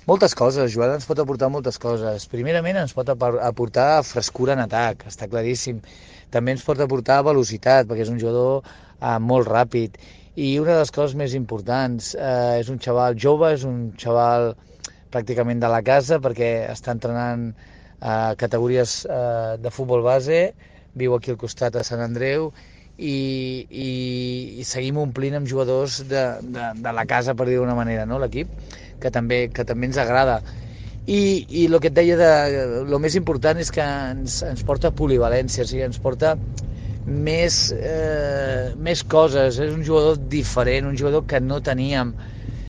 Moltes coses, Joan ens pot aportar moltes coses. Primerament ens pot aportar frescura en atac, està claríssim. També ens pot aportar velocitat, perquè és un jugador molt ràpid. I una de les coses més importants, és un xaval jove, és un xaval pràcticament de la casa, perquè està entrenant categories de futbol base, viu aquí al costat a Sant Andreu, i seguim omplint amb jugadors de la casa, per dir d'una manera, no? L'equip, que també ens agrada. I el que et deia, el més important és que ens porta polivalència, o sigui, ens porta més coses, és un jugador diferent, un jugador que no teníem,